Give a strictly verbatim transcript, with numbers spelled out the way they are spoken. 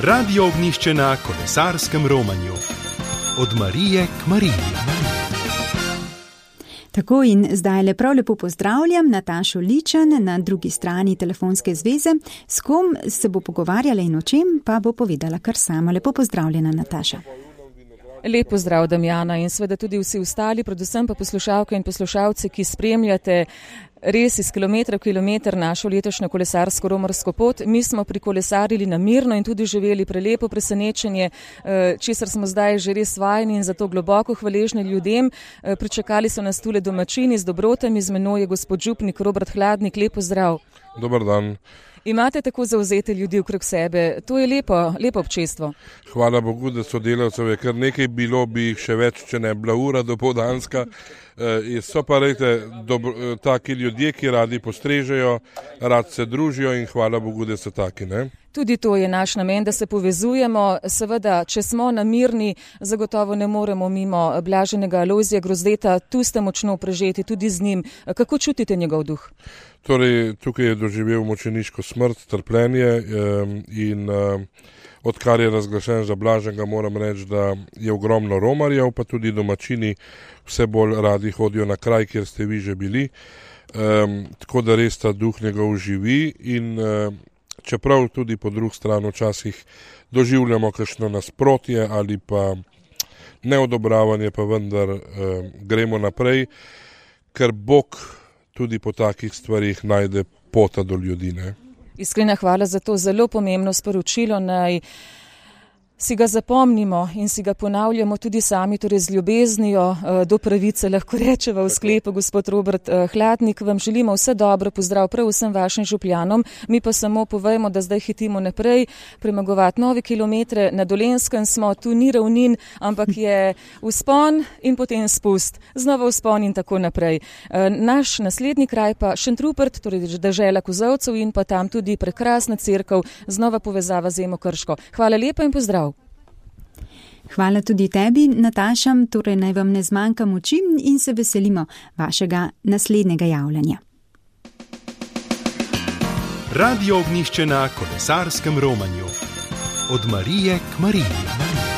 Radio Ognjišče na kolesarskem romanju. Od Marije k Mariji. Tako in zdaj le prav lepo pozdravljam Natašo Ličen na drugi strani telefonske zveze. S kom se bo pogovarjala in o čem, pa bo povedala kar sama. Lepo pozdravljena, Nataša. Lep pozdrav, Damjana, in seveda tudi vsi ostali, predvsem pa poslušalke in poslušalci, ki spremljate res iz kilometra v kilometer našo letošnjo kolesarsko-romarsko pot. Mi smo prikolesarili na Mirno in tudi živeli prelepo presenečenje, česar smo zdaj že res vajeni in zato globoko hvaležni ljudem. Pričakali so nas tule domačini z dobrotami, z menoj je gospod župnik Robert Hladnik. Lep pozdrav. Dobar dan. Imate tako zauzete ljudi okrog sebe, to je lepo, lepo občestvo. Hvala Bogu, da sodelavcev je kar nekaj bilo, bi jih še več, če ne bila ura dopoldanska. E, so pa rejte dobro, taki ljudje, ki radi postrežejo, rad se družijo in hvala Bogu, da so taki, ne? Tudi to je naš namen, da se povezujemo. Seveda, če smo na Mirni, zagotovo ne moremo mimo blaženega Alojzija Grozdeta. Tu ste močno prežeti tudi z njim. Kako čutite njegov duh? Torej, tukaj je doživel mučeniško smrt, trpljenje in odkar je razglašen za blaženega, moram reči, da je ogromno romarjev, pa tudi domačini vse bolj radi hodijo na kraj, kjer ste vi že bili. Tako da res ta duh njegov živi in čeprav tudi po drugi strani včasih doživljamo kakšno nasprotje ali pa neodobravanje, pa vendar eh, gremo naprej, ker Bog tudi po takih stvarih najde pota do ljudi. Ne? Iskrena hvala za to zelo pomembno sporočilo. Naj si ga zapomnimo in si ga ponavljamo tudi sami, torej z ljubeznijo do pravice, lahko rečeva v sklepu. Gospod Robert Hladnik, vam želimo vse dobro, pozdrav prav vsem vašim župljanom. Mi pa samo povejmo, da zdaj hitimo naprej, premagovati nove kilometre. Na Dolenjskem smo, tu ni ravnin, ampak je vzpon in potem spust, znova vzpon in tako naprej. Naš naslednji kraj pa Šentrupert, torej dežela Kozolcev in pa tam tudi prekrasna cerkev, znova povezava z Emo Krško. Hvala lepa in pozdrav. Hvala tudi tebi, Nataša, torej naj vam ne zmanjka moči in se veselimo vašega naslednjega javljanja. Radio Ognjišče na kolesarskem romanju. Od Marije k Mariji.